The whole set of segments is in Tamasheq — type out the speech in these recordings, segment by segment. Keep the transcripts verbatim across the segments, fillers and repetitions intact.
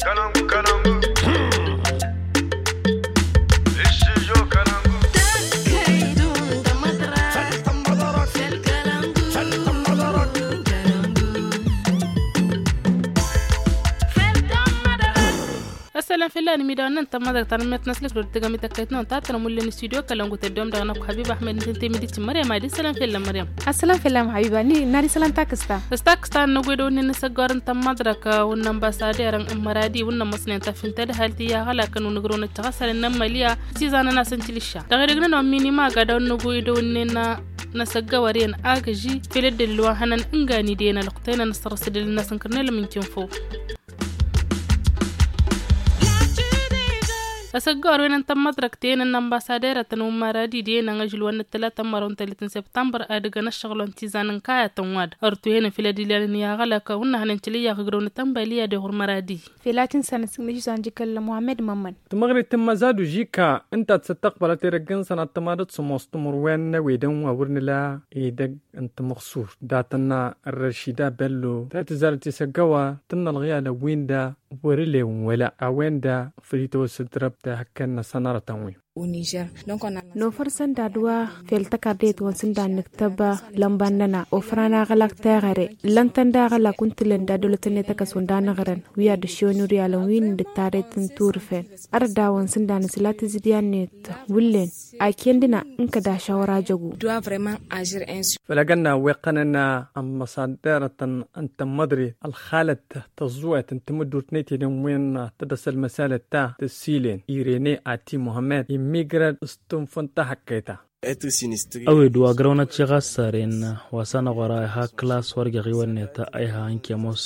Ăssalam fell-anǝm idawăn n-tămmăḍrăt ta n-ămmet n-aslǝk dor tǝgăm i-tăkkăyt-năwăn ta tănămullen studio kălăngut ăddewăm dăɣ-năkk habib ahmed n-tǝntǝmidit măryam adi sălam fell-anămăryam. Ăssalam fell-anămăryam habiba ni n-ad-isălan takǝsta. S-takǝsta n-năgwedăw-nin n-asăggawăr n-tămmăḍrăk. Wǝnnăn basader n-măradi wǝnnăn măsnen tafintăd hal tiyyăɣ ălakăn wǝnnăgrăwăn ăccăɣ asălan n-ămmălya s-izanăn asăn tilǝšša dăɣ-edăgg-nănăɣ minima agad a wǝnnăgwedăw-nin n-asăggawăr iyyăn agǝži făll-ăddălil wa hănăn ǝngan idăyăn ălwăqq tăyăn ănăsărrăs ăddălil-năsăn kărnelăm n-kinfo. Asăggawăr-wen n-tămmăḍrăk tăyăn n-ănbassaderătăn wǝmmăradi d-iyyăn ažǝl wa n-ăttălatăn mărăw n-tăllit n-săbtămbăr ad-ǝgăn ăššăɣǝl wa n-tizan n-kayătăn wa-dăn ărtu ihănăn făll-ad-ilan n-iyyăɣ ălakăn wǝnnăhăn n-tǝlǝyyăɣ ǝgrăw n-tănbaliya d-iɣur măradi. Făll-ad-tǝnsanăt s-ǝknǝš zanjǝkăl muhammed mămmăn. Tǝmăɣrit n-măzadu žika ǝnta ad-săttăqbălăt edăgg-năsăn ad-tămadăt s-ămoos timǝrwen n-ewedăn wa wăr nǝla edăgg n-timăɣsur datăn n-răšida bello ta tǝzzarăt isăggăwa tǝnnălɣ i-alăn-win-da wăr-ǝlewăn wăla a-wen-da făll-itwăsǝd răbt hakăn n-asănarătăn-win. Nofăr sănda d-wa fel tăkardet wa n-sǝnda n-nǝktăb lămba-nănăɣ ofăr-anăɣ ălak teɣăre lăn-tăn daɣ ălak wǝntǝlăn d-ad-dăwlăt-net ăkăs wănda nǝɣrăn wi ad-ăššewăn ur i-alăn wi n-dd-tarret n-turǝfen. Ărda wa n-sǝnda n-asǝla tǝzǝdya-net wǝllen. Aken dăɣ-năɣ n-kăd-ašăɣ wăr-ajăgu. Făll-agăn-na weqqăn-anăɣ ămmăsaderătăn n-tămmăḍre ălxalăt tăẓẓuwet n-tamǝddurt n-etedăn wen tădăs ălmăsalăt ta tăssilen irene ati muhămmăd immigrăd s-tunfǝn tahăkkăyta. Ăwed wa grăwnăt šeɣ assaren wa s-anăɣ wăr-a iha klas wăr jăɣ-iwănnet a iha ǝnke ămoos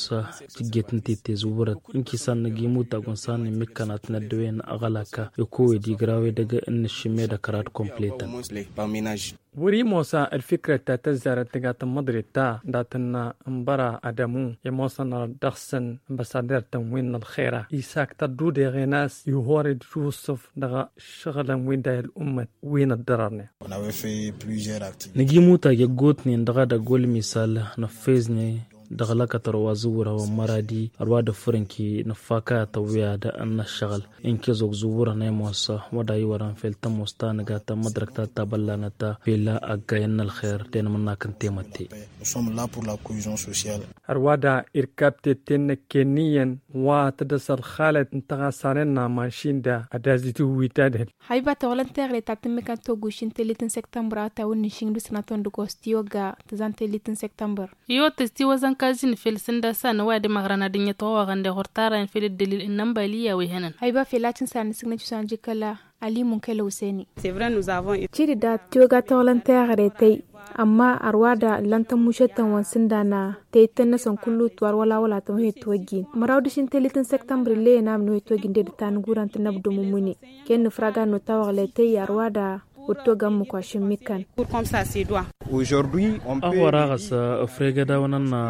tǝjjet n-titte zǝwwărăt ǝnkisan năgg imutag wa n-san n-imǝkkăn ad-tăn-ăddăwen aɣălak. Iko ed igra wedăgg n-nǝššǝmmed ăkrad kompletăn. Wăr-imosa ălfikrăt ta tăzzarăt tǝga tămmăḍret ta datăn n-băra adămu i-ămoosăn dăɣ-săn ămbăsader-tăn wi n-ălxera isak tăddudeɣen a-s ihor-dd yusǝf dăɣ-ăššăɣǝlăn wi n-dayăl ummăt wi n-ăddărărnen. Nǝjimutag i-ăggootnen dăɣ-edăgg wăl-misal năffezne dăɣ-lăkătăr wa zǝwwǝr hawăn măradi ărwa d-ăffăr ǝnki nǝffa kayătăn wi ad-năššăɣǝl. Ǝnke zog zǝwwǝrăn ămoos wădda iwărăn fel tămoos ta nǝga tămmăḍrăk ta tabăllanăt fel ăggayăn n-ălxer d-enmǝnnak n-temătte. Ărwa da irkab tetten năkken n-iyyăn wa tădăs ălxalăt n-tăɣasanen n-amašin da ad-azǝtǝwwi tadhǝl. Haiba tawălăn teɣăre ta tǝmmǝkăn togušin tellit n-sektămbăr a tawǝnni šin d-usnatăn d-gosti ogga tǝzan tellit n-sektămbăr. Iwăt tăstiwăzăn kazin fel sǝnda s-anăway ad-imăɣrăn ad-ǝnyăt ɣoɣăn d-iɣur tarayăn fel ǝddălil n-inănbaliya wi hănăn. Haiba fel ad-tǝnsanăn s-ǝgnăt usanjǝkăla alimun kăla useni. Ciri da tiwăga tawălăn teɣăre tăy. Ămma ărwa da ǝllan tămmušăt-tăn wa n-sǝndan tăy-tăn-năsăn kullu tiwar wăla wăla tămăhet tiwăjjin măraw d-ašǝn tellit n-sektămbăr ǝlleyăn amǝnwet tiwăjjin de d-tanguran tǝnnăbdǝm ǝmmǝne. Kăy-nǝfrag ad-nutawaɣlăy tăy ărwa da wăr togăn mǝkwašăn mikkăn. Aɣwăr aɣăs ăfregăd a-wăn ănna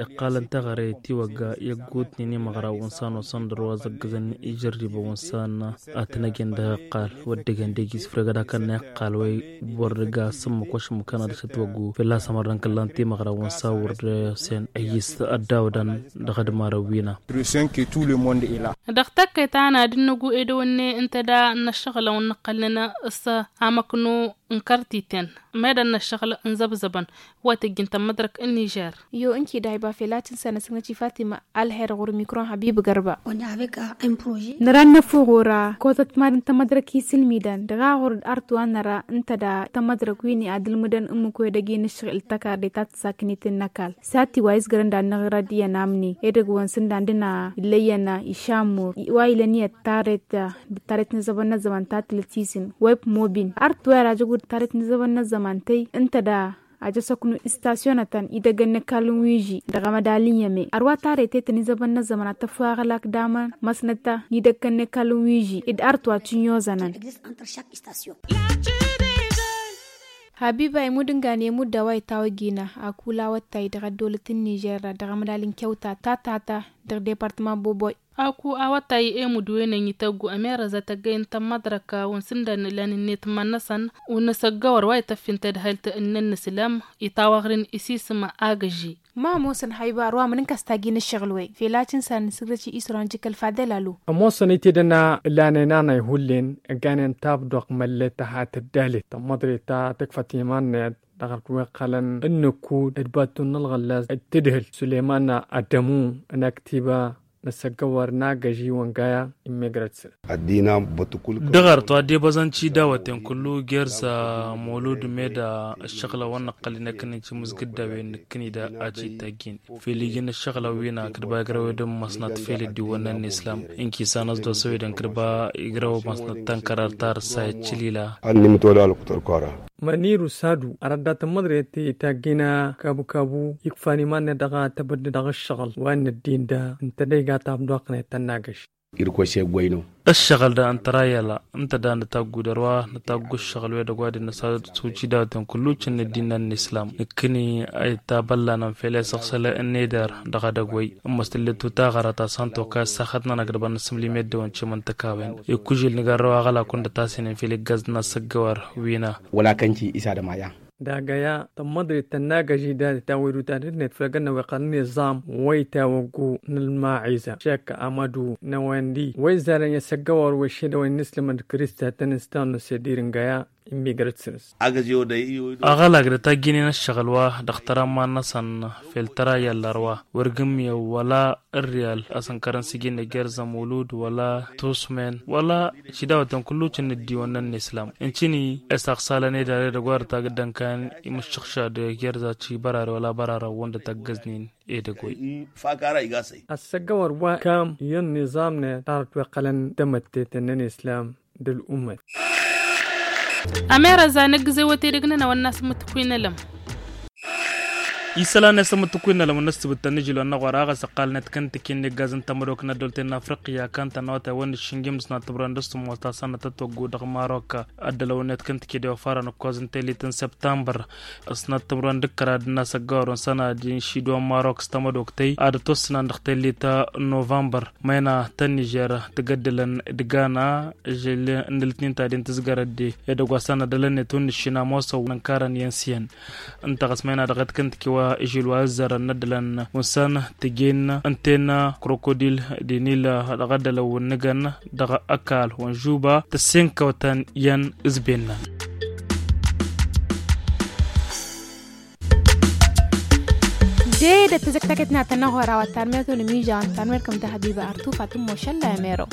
iqqalăn teɣăre tiwăgga i-ăggootnen imăɣraw n-san osăn dăr-wa zăggăzăn ijărribăn wa n-san. Ad-tăn-ăjăn dăɣ-iqqal wăr dăgg-en dăgg-i s-ǝfregăd akănna iqqal wa i-wăr dăgg-a s-ǝmmǝk wa šǝmmǝk kănna dăɣ-s ătwăggu fălla-s ămărrăn kăllan timăɣraw wa n-san wăr dăgg-sen ăyyǝs ăddawdăn dăɣ-ădmarăn wi-năɣ. Dăɣ-tăkkăyt ta n-ad-dd-năggu edăwănne ǝnta da n-ăššăɣǝlăn wa n-nǝqqălnăn s-amăknu n-kărtiten meddǝn n-ăššăɣǝl n-zăbzăbăn wa tǝjjǝn tămmădrăk n-nižer. Iyo ǝnki dayba fel ad-tǝnsanăsnăt i-fatima alher ɣur-mikro n-habib gărba. Năra n-năfuɣ ɣur-a kotăt madăn tămmădrăk isǝlmidăn dăɣ-aɣur d-artu a năra ǝnta da tămmădrăk wi n-i ad-ǝlmǝdăn ǝmmǝk wedăgg-i n-ǝššăɣǝl tăkarde ta tǝssaknit n-ăkall. Sati wa izgărăn d-ad-năɣrăd iyyăn amni edăgg wa n-sǝndan d-ina illăyyăn išamur wa ilăn iyyăt tarret d-tarret n-azăbăn n-ăzzăman ta tǝlăt isǝn web mobin artu wa irajăgu d-tarret n-azăbăn n-ăzzăman tăy ǝnta da ajăsăknu istasyonătăn idăggăn n-ăkall n-wiži dăɣ-amădal n-iyyăme ărwa tarret tăy tăn-izăbăn n-ăzzăman ad-tăffaɣăl ak-damăn măsnăt n-idăggăn n-ăkall n-wiži d-artu wa tǝnyozănăn. Habiba imud ǝngan i-imud d-a-wa itawăjjina akulawăt tay dăɣ-ăddolăt n-nižer dăɣ-amădal n-kewta ta tata dăɣ-departăma boboy. Aku awătay i-mudwen ănităggu ămerăza tăggăyăn tămmăḍrăka wăn sǝndan ǝlan-net iman-năsăn. Wăn asăggăwăr wa ităffin tadhălt n-ănnăslam itawăɣrin isisma agăži. Ma ămoosăn haybar wa mǝnǝnka s-taggi n-ǝššăɣǝl-wen felăt n-san n-sǝgdăt isran jǝkăl fadăl alu. Ămoosăn itedăn ǝlanen anay hullen ăgganen tabdoɣt măllet tăhat ăddalet tămmăḍre ta tǝkfăt iman-net dăɣ-ălkǝweɣ iqqălăn ǝnnǝkkud d-battun n-ălɣăllas d-tǝdhǝl suleyman ăddămu n-aktiba n-asăggăwăr n-agăži wăngaya. Immegrăt săr. Dăɣ-arăt wa dd-ebăẓăn cidawăten kullu gerz mulud meda ăššăɣǝlăn wa n-năqqăl inăkăn n-timǝzgǝddawen nǝkkǝni da a citagin fel iji n-ăššăɣǝlăn wi n-akǝdba igrăw edăm măsnăt fel dd-iwănnăn n-islam. Inkisanăs d-osăwedăn kǝdba igrăw măsnăt tănkărar tarǝssa iccǝlila. Ănnim tolal kutăr kora. Măniru sadu arăddat n-măḍre ti taggina kabu-kabu ikfan iman-net dăɣ-a tăbădde dăɣ-ǝššăɣǝl wa n-ăddin da ǝnta da iga tabdoɣ-net tănnagăš. Irkose gwăyno. Ǝššăɣǝl da ǝnta ra yăla ǝnta da nǝtaggud ărwa nǝtaggu ǝššăɣǝl wi edăgg wa dd-năsasuci dawăten kullu cǝnn ăddin n-islam nǝkkǝni a ittabăllanăn fel i-săɣsălăn n-eder dăɣ-edăgg wăy. Ǝmmăs tǝllet tutaɣăra ta s-han toka ăssaxăt-nănăk d-bănnăsǝmlǝm i-ăddăwăn cimăn tăkawăyăn ikkužil nǝgarrăw aɣălakun d-tasinăn fel iggaẓ n-asăggăwăr wina. Wăla kănci isa d-amaya. Dagăya tămmăḍrit tănnagăži dad-tawăyduta d-net fălăgăn n-aweqqăl n-iẓam wăy tawăggu n-ălmaɣiza šek amădu n-ewăndi wăy zalăn i-asăggăwăr wăy šedăwăy n-islămăn d-kǝrista tăn-ǝstan n-asedir n-găya. Immigrăt săr-s. Aɣălak d-tagginen ăššăɣǝl wa dăɣ-tăra n-iman-năsăn fel tăra i-ăllărwa wăr gǝmmiyăw wăla ǝrriyal asǝnkărăn s-iji n-egerza mulud wăla tusmen wăla šidawăten kullu cǝnn dd-iwănnăn n-islam ǝncǝni. Isaɣsalăn edăr edăgg wa dăr-tagǝddăn kan imǝššǝɣšad egerza ci bărare wăla bărarăn wăndăt ăggăznen edăgg wăy. Ăssăggăwăr wa kam iyyăn n-iẓamnet tarăt wa iqqălăn d-amătteten n-islam. D-ălumăt. Ămerăza n-ăggǝzewăt edăgg-nănăɣ wănna s-mǝtǝkwi n-elăm. Isălan i-asămătăkwi n-alămăn n-ăssibǝttăn n-ižilon n-aɣora a ɣas ăqqalnet kăntǝki n-igaz n-tamădok n-ăddolten n-afriqya kantăn n-awătay wăn-ǝššǝnjim d-sănat timran d-ăssumos ta sănăt ătwăggu dăɣ-marok. Ăddălăwnet kăntǝki d-iwăfarăn ǝkkoẓ n-tellit n-săptămbăr. Sănat timran d-ǝkkăra d-ănn-asăggăwăr n-sănad inšidon marok s-tamădok tăy ad-ătwăssǝnan dăɣ-tellit n-novămbăr. Măyna ta n-nižer tǝgăddǝlăn d-gana žel n-ǝltnin ta den tǝzgărăt de edăgg wa s-anădălăn netun n-ǝššin amosăw n-ănkarăn i-ănsiyăn. Ǝnta ɣas măyna dăɣ-ed kǝntǝki wa ižil wa ǝzzărăn n-ăddălăn wǝnsăn tǝjen ǝnten krokodil d-inil dăɣ-ăddălăn wǝnnǝgăn dăɣ-ăkall wănžuba tăssenkăwtăn i-ănn ǝzben-năn. De-dd-tǝzǝk teket n-ad-tănăɣ horawa tanmert wăla mižaw n-tanmert kăm-dăɣ habiba artufat n-mošălla i-mero.